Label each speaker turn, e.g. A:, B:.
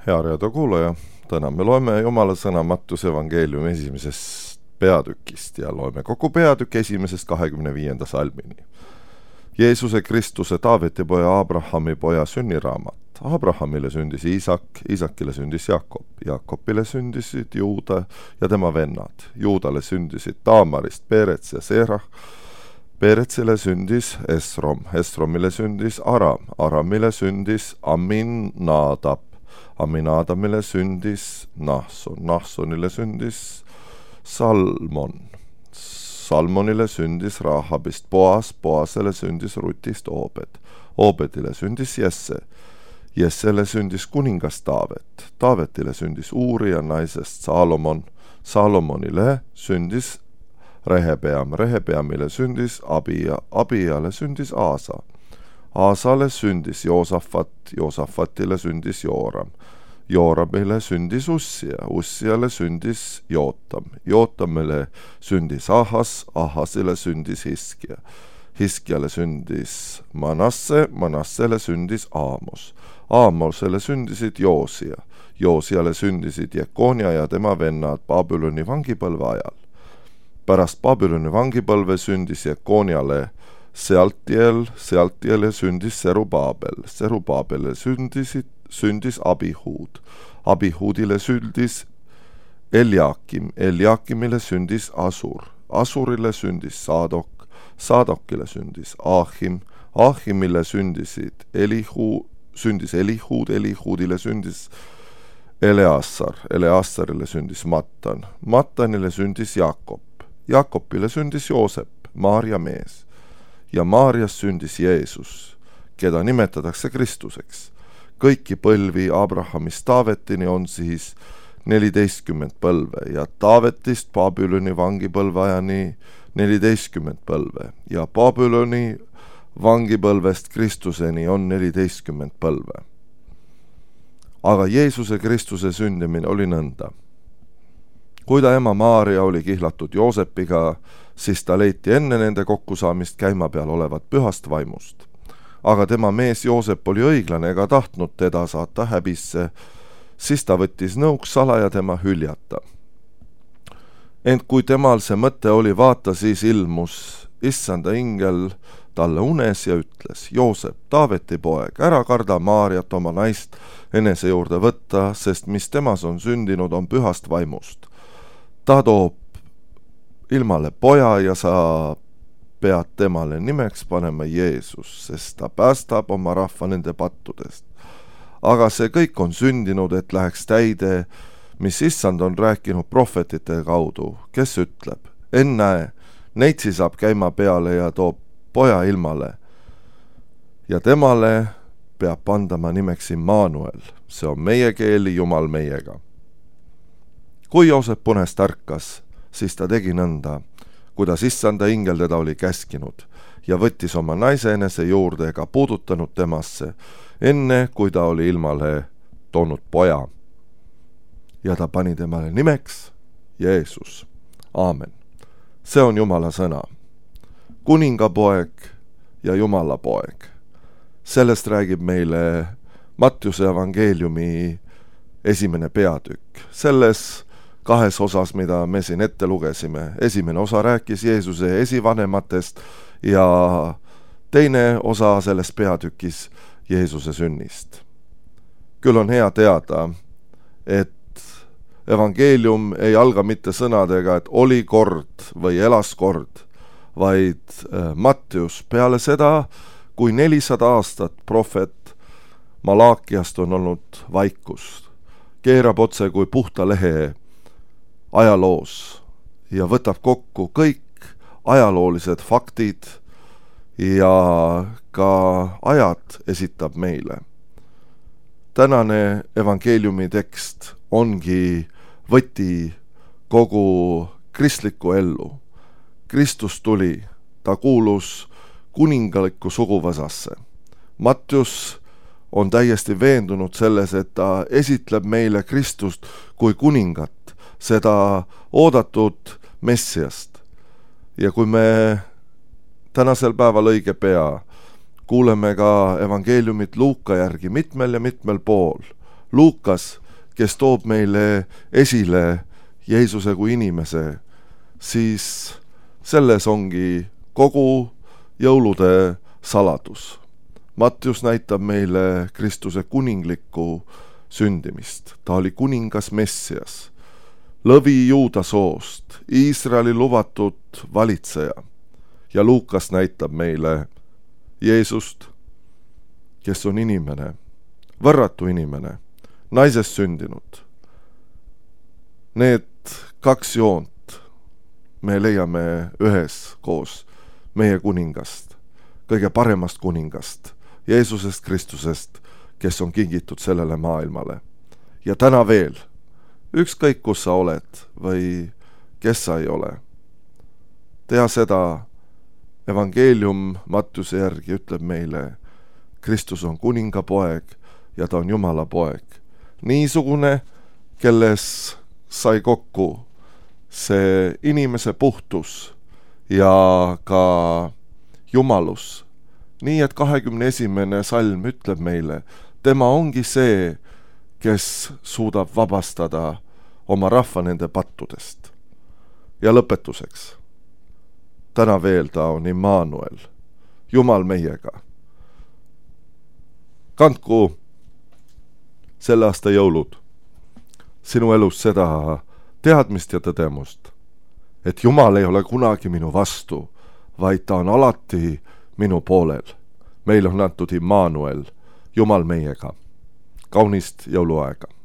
A: Hea raadiokuulaja, täna me loeme Jumala sõna Mattuse evangeeliumi esimesest peatükist ja loeme kogu peatükk 1.–25. salmini. Jeesuse Kristuse Taaveti poja Abrahami poja sünniraamat. Abrahamile sündis Iisak, Iisakile sündis Jakob, Jakobile sündisid Juuda ja tema vennad. Juudale sündisid Taamarist Perets ja Serah, Peretsile sündis Esrom, Esromile sündis Aram, Aramile sündis Aminadab, Aminadamile sündis Nahson, Nahsonile sündis Salmon, Salmonile sündis Rahabist Boas, Boasele sündis Rutist Obed, Obedile sündis Jesse, Jessele sündis kuningas Taavet, Taavetile sündis Uuri ja naisest Salomon, Salomonile sündis Rehebeam, Rehebeamile sündis Abia, Abiale sündis Aasa, Aasale sündis Joosafat, Joosafatile sündis Jooram, Jooramile sündis Ussia, Ussiale sündis Jootam, Jootamile sündis Ahas, Ahasile sündis Hiskia, Hiskiale sündis Manasse, Manassele sündis Aamos, Aamosele sündisid Joosia, Joosiale sündisid Jekonia ja tema vennad Babyloni vangipõlve ajal. Pärast Babyloni vangipõlve sündis Jekoniale Sealtiel, Sealtiele sündis Serubabel, Serubabele sündis Abihud, Abihudile sündis Eliakim, Eliakimile sündis Asur, Asurile sündis Saadok, Saadokile sündis Ahim, Ahimile sündisid Elihud, Elihudile sündis Eleassar, Eleassarile sündis Mattan, Mattanile sündis Jakob, Jakobile sündis Joosep, Maarja mees, ja Maarjas sündis Jeesus, keda nimetatakse Kristuseks. Kõiki põlvi Abrahamist Taavetini on siis 14 põlve ja Taavetist Babyloni vangipõlve ajani 14 põlve ja Babyloni vangipõlvest Kristuseni on 14 põlve. Aga Jeesuse Kristuse sündimine oli nõnda. Kui ta ema Maarja oli kihlatud Joosepiga, siis ta leiti enne nende kokkusaamist käima peal olevat pühast vaimust. Aga tema mees Joosep oli õiglane ega tahtnud teda saata häbisse, siis ta võttis nõuks salaja tema hüljata. Ent kui temal see mõte oli vaata, siis ilmus issanda ingel talle unes ja ütles: Joosep, Taaveti poeg, ära karda Maarjat oma naist enese juurde võtta, sest mis temas on sündinud, on pühast vaimust. Ta toob ilmale poja ja sa pead temale nimeks panema Jeesus, sest ta päästab oma rahva nende pattudest. Aga see kõik on sündinud, et läheks täide, mis issand on rääkinud prohvetite kaudu, kes ütleb: ennäe, neitsi saab käima peale ja toob poja ilmale. Ja temale peab pandama nimeks Immanuel, see on meie keeli Jumal meiega. Kui Joosep unest ärkas, siis ta tegi nõnda, kuidas issanda ingel teda oli käskinud ja võttis oma naise enese juurde ega puudutanud temasse, enne kui ta oli ilmale toonud poja. Ja ta pani temale nimeks Jeesus. Aamen. See on Jumala sõna. Kuningapoeg ja Jumala poeg. Sellest räägib meile Mattuse evangeeliumi 1. peatükk. Selles 2 osas, mida me siin ette lugesime. Esimene osa rääkis Jeesuse esivanematest ja teine osa selles peatükis Jeesuse sünnist. Küll on hea teada, et evangeelium ei alga mitte sõnadega, et oli kord või elas kord, vaid Mattius peale seda, kui 400 aastat prohvet Malaakiast on olnud vaikus, keerab otse kui puhta lehe ajaloos ja võtab kokku kõik ajaloolised faktid ja ka ajad esitab meile. Tänane evangeeliumi tekst ongi võti kogu kristlikku ellu. Kristus tuli, ta kuulus kuningalikku suguvõsasse. Mattius on täiesti veendunud selles, et ta esitleb meile Kristust kui kuningat, seda oodatud Messiast. Ja kui me tänasel päeval õige pea kuuleme ka evangeeliumit Luuka järgi mitmel ja mitmel pool, Luukas, kes toob meile esile Jeesuse kui inimese, siis selles ongi kogu jõulude saladus. Mattius näitab meile Kristuse kuninglikku sündimist. Ta oli kuningas Messias, lõvi Juuda soost, Iisraeli lubatud valitseja. Ja Luukas näitab meile Jeesust, kes on inimene, võrratu inimene, naisest sündinud. Need kaks joont me leiame ühes koos meie kuningast, kõige paremast kuningast, Jeesusest Kristusest, kes on kingitud sellele maailmale. Ja täna veel, ükskõik kus sa oled või kes sa ei ole, tea seda, evangeelium Mattiuse järgi ütleb meile, Kristus on kuningapoeg ja ta on Jumala poeg. Niisugune, kelles sai kokku see inimese puhtus ja ka jumalus. Nii et 21. salm ütleb meile, tema ongi see, kes suudab vabastada oma rahva nende pattudest. Ja lõpetuseks, täna veel ta on Immanuel, Jumal meiega. Kandku selle aasta jõulud sinu elus seda teadmist ja tõdemust, et Jumal ei ole kunagi minu vastu, vaid ta on alati minu poolel. Meil on antud Immanuel, Jumal meiega. Kaunist jõuluaega!